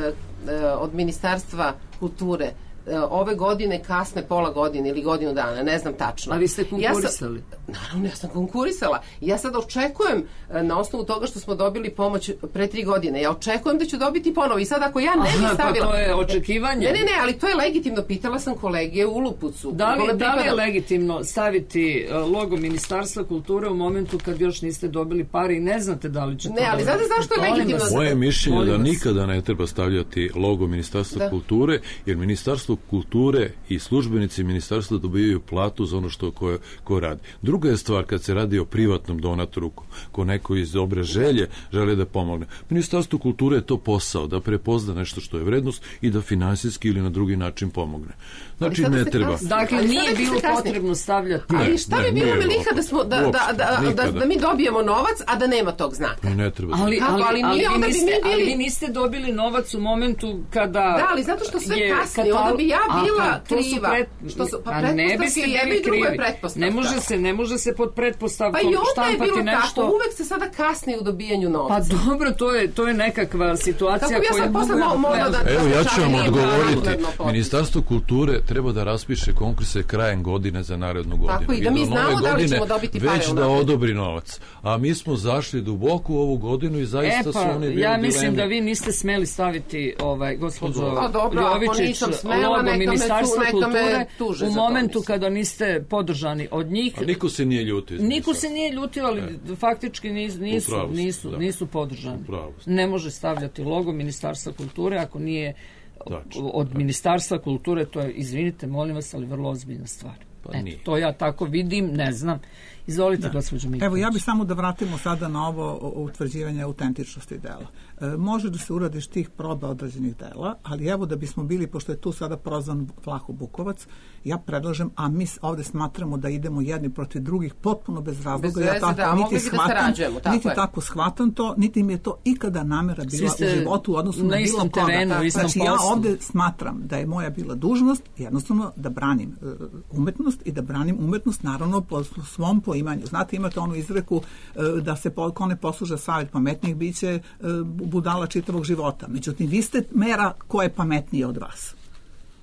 e, od Ministarstva kulture e, ove godine kasne pola godine ili godinu dana, ne znam tačno. a vi ste Ja sam- konkurisali? Naravno, ja sam konkurisala. Ja sad očekujem, e, na osnovu toga što smo dobili pomoć pre tri godine, ja očekujem da ću dobiti ponovo. I sad ako ja ne Aha, bih pa stavila... to je očekivanje. Ne, ne, ne, ali to je legitimno. Pitala sam kolege u Lupucu. Da li, kome da li je pripada- legitimno staviti uh, logo Ministarstva kulture u momentu kad još niste dobili pare i ne znate da li ćete Ne, ali dobiti? znate zašto je Molim legitimno? vas. Moje mišljenje Molim da vas. nikada ne treba stavljati logo Ministarstva Da. kulture, jer Ministarstvo kulture i službenici Ministarstva dobijaju platu za ono što ko, ko radi. Druga je stvar kad se radi o privatnom donatoru, ko, ko neko iz dobre želje želi da pomogne. Ministarstvo kulture je to posao, da prepozna nešto što je vrednost i da finansijski ili na drugi način pomogne. Znači sada ne se treba. kasni. Dakle, Ali nije sada će bilo se kasnije. potrebno stavljati. Ne, Ali šta ne, bi bilo nije Miliha da, smo, da, da, uopšte, da, da, nikada. da mi dobijemo novac, a da nema tog znaka? Ne treba. Ali, Kako? ali, Ali ali, nije, vi onda bi niste, mi bili- ali vi niste dobili novac u momentu kada Da, ali zato što sve je kasni, katal- onda bi ja A, bila pa, to su kriva. pret- Što su- pa a ne pretpostavke biste i jedno bili i drugo je krivi. pretpostavka. Ne može se, ne može se pod Pa pretpostavkom i onda je štampati bilo nešto. tako, uvek se sada kasni u dobijanju Pa novca. dobro, to je, to je nekakva situacija Kako bi ja koja... sad posle mo- mogla da- Evo, ja ću vam Nije odgovoriti. naknadno potpis. Ministarstvo kulture treba da raspiše konkurse krajem godine za narednu godinu. Tako, i da mi do znamo nove da li godine ćemo dobiti pare već da unapred. odobri novac. A mi smo zašli duboko u ovu godinu i zaista E su pa, oni bili ja u mislim dilemi. da vi niste smeli staviti ovaj, gospođo Pa dobro, ako Jovičić, nisam smela, logo neka me tu- Ministarstva neka me kulture tuže u za to, momentu mislim. kada niste podržani od njih. A niko se nije ljutio. Niko se nije ljutio, ali faktički nis- nisu, Upravo ste, nisu, da. nisu podržani. Upravo ste. Ne može stavljati logo Ministarstva kulture ako nije Tačno, od Ministarstva kulture, to je, izvinite, molim vas, ali vrlo ozbiljna stvar. Pa Eto, nije. to ja tako vidim, ne znam. Izvolite, gospođo Miljković. Evo, ja bih samo da vratimo sada na ovo o- o utvrđivanje autentičnosti dela. E, može da se uradi tih proba određenih dela, ali evo da bismo bili, pošto je tu sada prozvan Vlaho Bukovac, ja predlažem, a mi s- ovde smatramo da idemo jedni protiv drugih potpuno bez razloga. Bez ja veze, tako da, niti mogli bi da shvatam, sarađujemo, tako niti je. tako shvatam to, niti mi je to ikada namera bila ste u životu u odnosu na na, bilo istom koga. terenu, u istom Znači, ja poslu. ovde smatram da je moja bila dužnost jednostavno da branim e, umetnost i da branim umetnost naravno po svom poimanju. Znate, imate onu izreku e, da se po, ko ne posluža savjet pametnih biće e, budala čitavog života. Međutim, vi ste mera ko je pametniji od vas.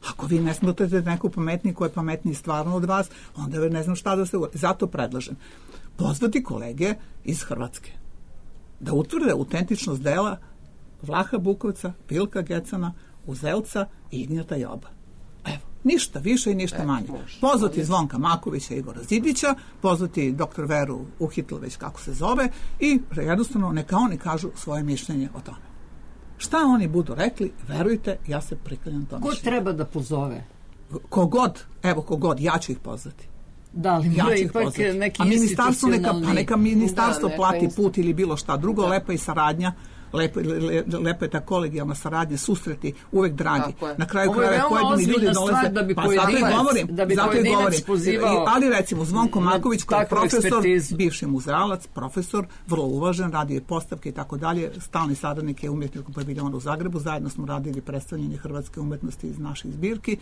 Ako vi ne smatrate neku pametniji ko je pametniji stvarno od vas, onda ne znam šta da se uradi. Zato predlažem pozvati kolege iz Hrvatske da utvrde autentičnost dela Vlaha Bukovca, Vilka Gecana, Uzelca i Ignjata Joba. Evo, ništa više i ništa manje. Pozvati Zvonka Makovića i Igora Zidića, pozvati doktor Veru Uhitl, već kako se zove, i jednostavno neka oni kažu svoje mišljenje o tome. Šta oni budu rekli, verujte, ja se priklanjam tom Ko mišljenju. treba da pozove? Kogod, evo kogod, ja ću ih pozvati. Da li Ja mora ću ih ipak pozvati. neki A ministarstvo neka, institucionalni... pa neka ministarstvo Da, neka plati inst- put ili bilo šta drugo, Da. lepa i saradnja, lepo, le, lepa je ta kolegijalna saradnja, susreti, uvek dragi. Tako je. Na kraju Ovo je krajeva veoma pojedini ljudi ozbiljna dolaze, stvar da bi pa zato i pojedinac- govorim, da bi zato i pojedinac govorim. pozivao Ali recimo Zvonko na Maković koji je takvu profesor, ekspertizu. bivši muzealac, profesor, vrlo uvažen, radio je postavke i tako dalje, stalni saradnik je umjetničkog paviljona u Zagrebu, zajedno smo radili predstavljanje hrvatske umetnosti iz naših zbirki.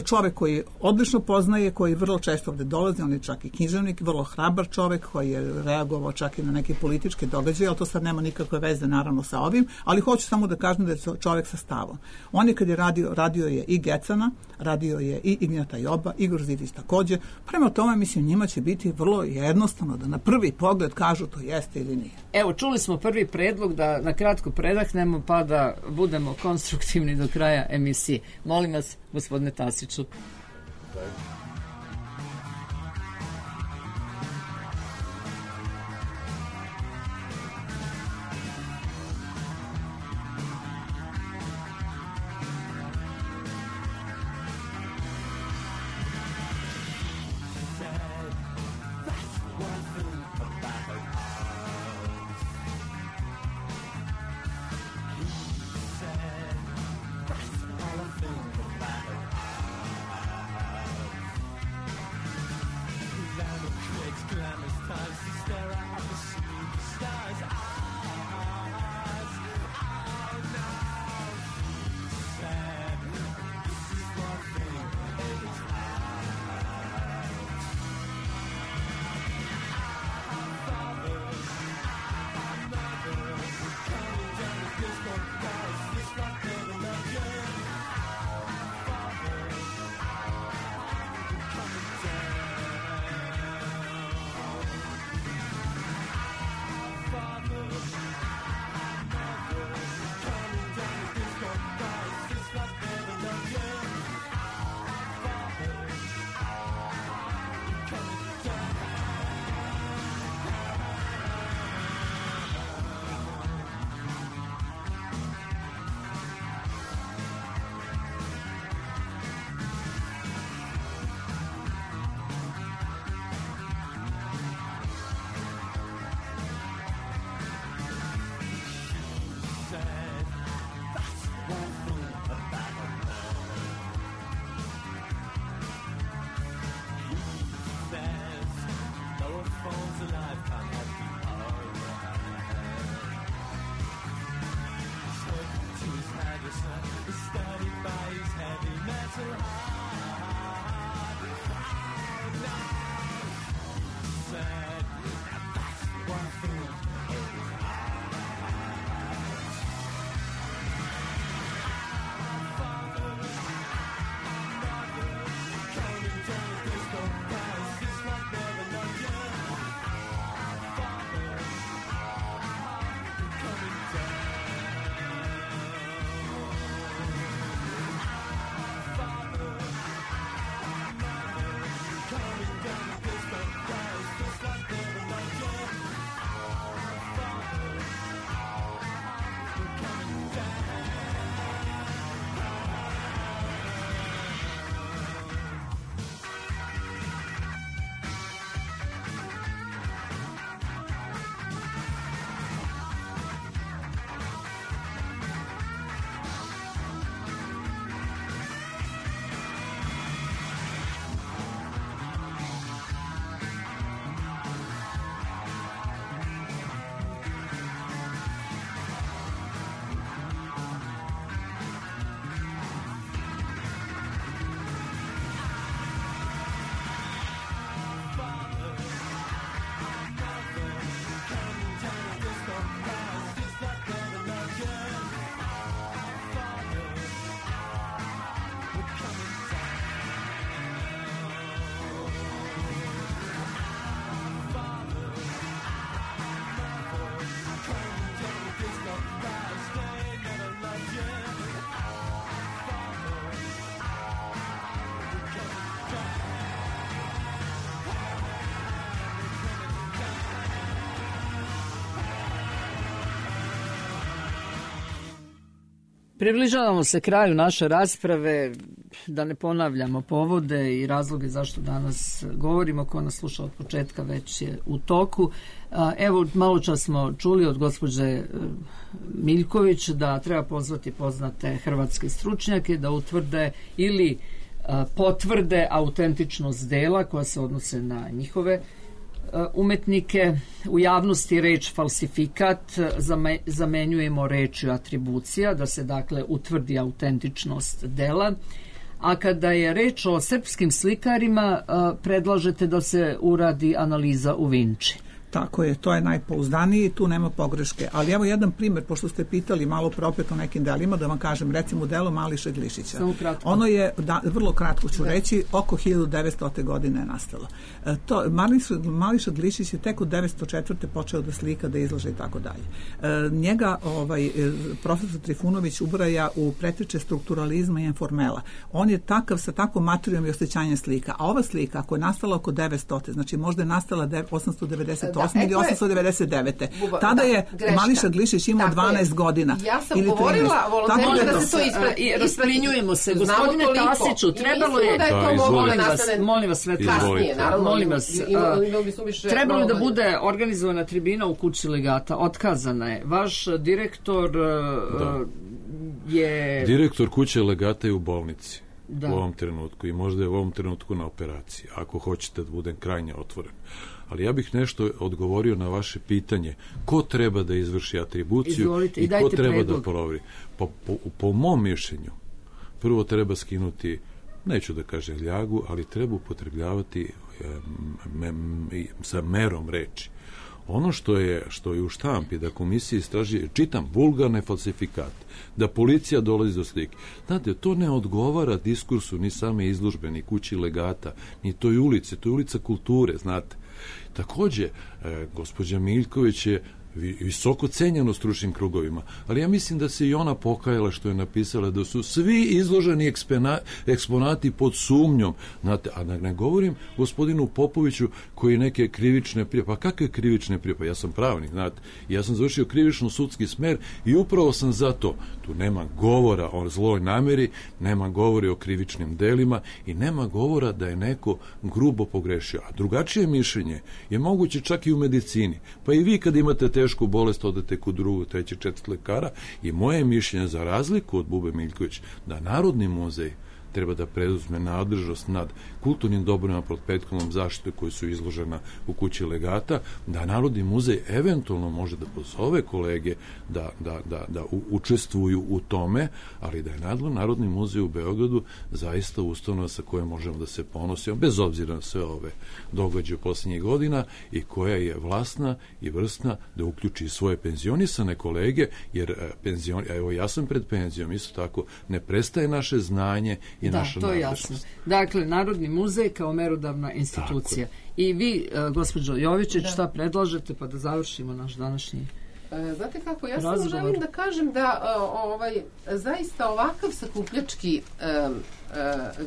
Čovek koji odlično poznaje, koji vrlo često ovde dolazi, on je čak i književnik, vrlo hrabar čovek koji je reagovao čak i na neke političke događaje, ali to sad nema nikakve veze naravno sa ovim, ali hoću samo da kažem da je čovek sa stavom. On je kad je radio, radio je i Gecana, radio je i Ignjata Joba, Igor Zidić takođe, prema tome mislim njima će biti vrlo jednostavno da na prvi pogled kažu to jeste ili nije. Evo, čuli smo prvi predlog da na kratko predahnemo pa da budemo konstruktivni do kraja emisije. Molim vas, gospodine Tasiću. Približavamo se kraju naše rasprave, da ne ponavljamo povode i razloge zašto danas govorimo. Ko nas sluša od početka već je u toku. Evo, malo čas smo čuli od gospođe Miljković da treba pozvati poznate hrvatske stručnjake da utvrde ili potvrde autentičnost dela koja se odnose na njihove umetnike. U javnosti reč falsifikat zamenjujemo rečju atribucija, da se dakle utvrdi autentičnost dela. A kada je reč o srpskim slikarima, predlažete da se uradi analiza u Vinči. Tako je, to je najpouzdaniji, tu nema pogreške. Ali evo jedan primjer, pošto ste pitali malo pre opet o nekim delima, da vam kažem, recimo delo Mališa Glišića. Ono je, da, vrlo kratko ću reći, oko hiljadu devetstote godine je nastalo. E, to, Mališa, Mališa Glišić je tek od devetsto četvrte počeo da slika, da izlaže i tako dalje. E, njega ovaj, profesor Trifunović ubraja u preteče strukturalizma i informela. On je takav sa takvom materijom i osjećanjem slika. A ova slika, ako je nastala oko devetstote, znači možda je nastala osamsto devedeset osme ili osamsto devedeset devete. Tada je Mališa Glišić imao dvanaest godina. Ja sam govorila volonterima da se to isprati. Rasplinjujemo se. Gospodine Tasiću, trebalo je... Molim vas, molim vas sve kasnije. Molim vas, trebalo je da bude organizovana tribina u kući legata. Otkazana je. Vaš direktor je... Direktor kuće legata je u bolnici. Da. U ovom trenutku i možda je u ovom trenutku na operaciji, ako hoćete da budem krajnje otvoren. Ali ja bih nešto odgovorio na vaše pitanje. Ko treba da izvrši atribuciju Izvolite, i, i ko treba predlog. da proveri? Po, po, po mom mišljenju, prvo treba skinuti, neću da kažem ljagu, ali treba upotrebljavati me, me, sa merom reči. Ono što je, što je u štampi, da komisija istraži, čitam, vulgarne falsifikate, da policija dolazi do slike. Znate, to ne odgovara diskursu ni same izložbe, ni kući legata, ni toj ulici, to je ulica kulture, znate. Takođe, e, gospođa Miljković je visoko cenjeno stručnim krugovima, ali ja mislim da se i ona pokajala što je napisala da su svi izloženi ekspena, eksponati pod sumnjom, znate, a ne govorim gospodinu Popoviću koji neke krivične prijave, pa kakve krivične prijave, pa ja sam pravnik, znate, ja sam završio krivično sudski smer i upravo sam zato, tu nema govora o zloj nameri, nema govora o krivičnim delima i nema govora da je neko grubo pogrešio, a drugačije mišljenje je moguće čak i u medicini, pa i vi kad imate te tešku bolest odete kod drugog, trećeg, četvrtog lekara i moje mišljenje za razliku od Bube Miljković da Narodni muzej treba da preduzme nadležnost nad kulturnim dobrima pod prethodnom zaštitom koji su izložena u kući legata, da Narodni muzej eventualno može da pozove kolege da, da, da, da učestvuju u tome, ali da je Narodni muzej u Beogradu zaista ustanova sa kojom možemo da se ponosimo, bez obzira na sve ove događaje posljednjih godina i koja je vlasna i vrstna da uključi svoje penzionisane kolege, jer penzion, evo ja sam pred penzijom, isto tako ne prestaje naše znanje i da, naša to je jasno. Dakle, Narodni muzej kao merodavna institucija. I vi, gospođo Jovičić, da. Šta predlažete pa da završimo naš današnji Znate kako, ja samo želim da kažem da ovaj, zaista ovakav sakupljački um, uh,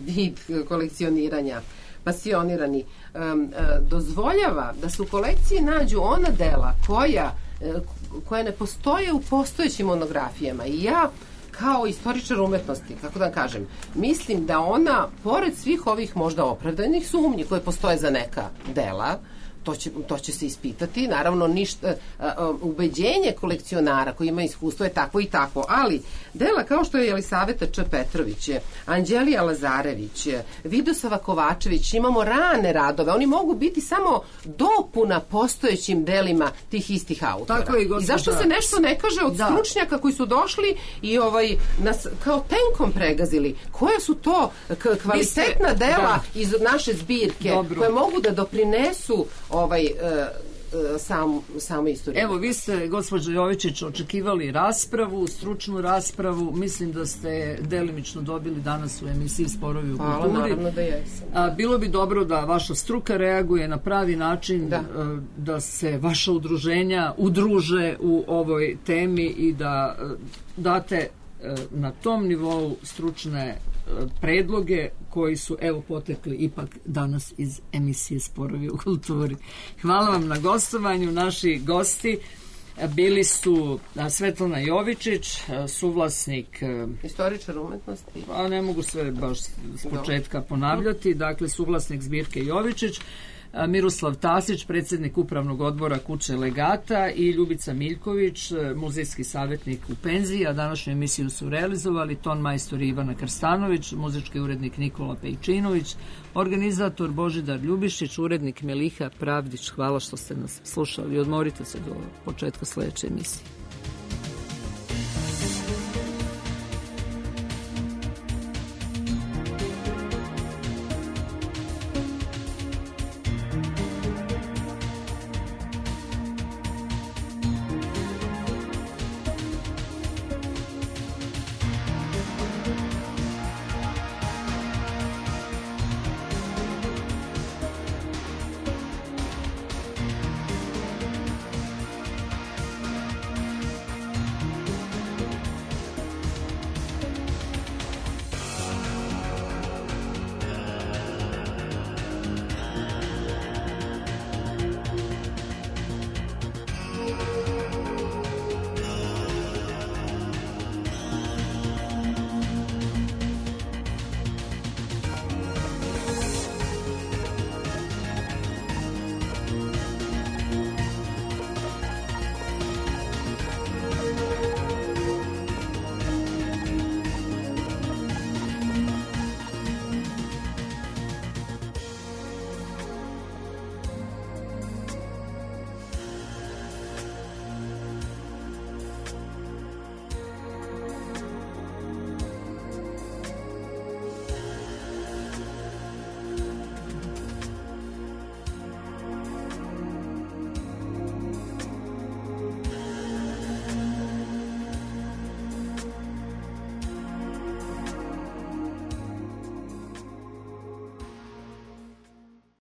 vid kolekcioniranja, pasionirani, um, uh, dozvoljava da se u kolekciji nađu ona dela koja, uh, koja ne postoje u postojećim monografijama. I ja kao istoričar umetnosti, kako da kažem, mislim da ona, pored svih ovih možda opravdanih sumnji koje postoje za neka dela, to će, to će se ispitati, naravno ništa, ubeđenje kolekcionara koji ima iskustvo je takvo i takvo, ali dela kao što je Jelisaveta Č. Petrović, Anđelija Lazarević, Vidosava Kovačević, imamo rane radove, oni mogu biti samo dopuna postojećim delima tih istih autora. Tako je, gospođa. I zašto se nešto ne kaže od da. stručnjaka koji su došli i ovaj nas kao tenkom pregazili? Koja su to kvalitetna ste, dela da. iz naše zbirke Dobro. koje mogu da doprinesu ovaj uh, uh, sam, samo istoriju. Evo, vi ste, gospođo Jovičić, očekivali raspravu, stručnu raspravu, mislim da ste delimično dobili danas u emisiji Sporovi u Hvala, kulturi. naravno da jesam. A, bilo bi dobro da vaša struka reaguje na pravi način, da, uh, da se vaša udruženja udruže u ovoj temi i da uh, date uh, na tom nivou stručne predloge koji su evo potekli ipak danas iz emisije Sporovi u kulturi. Hvala vam na gostovanju, naši gosti Bili su a, Svetlana Jovičić, a, suvlasnik... a, Istoričar umetnosti. A ne mogu sve baš s početka ponavljati. Dakle, suvlasnik zbirke Jovičić, a, Miroslav Tasić, predsjednik upravnog odbora Kuće Legata i Ljubica Miljković, muzejski savjetnik u penziji, a današnju emisiju su realizovali ton majstor Ivana Krstanović, muzički urednik Nikola Pejčinović, organizator Božidar Ljubišić, urednik Meliha Pravdić. Hvala što ste nas slušali. Odmorite se do početka sledeće emisije.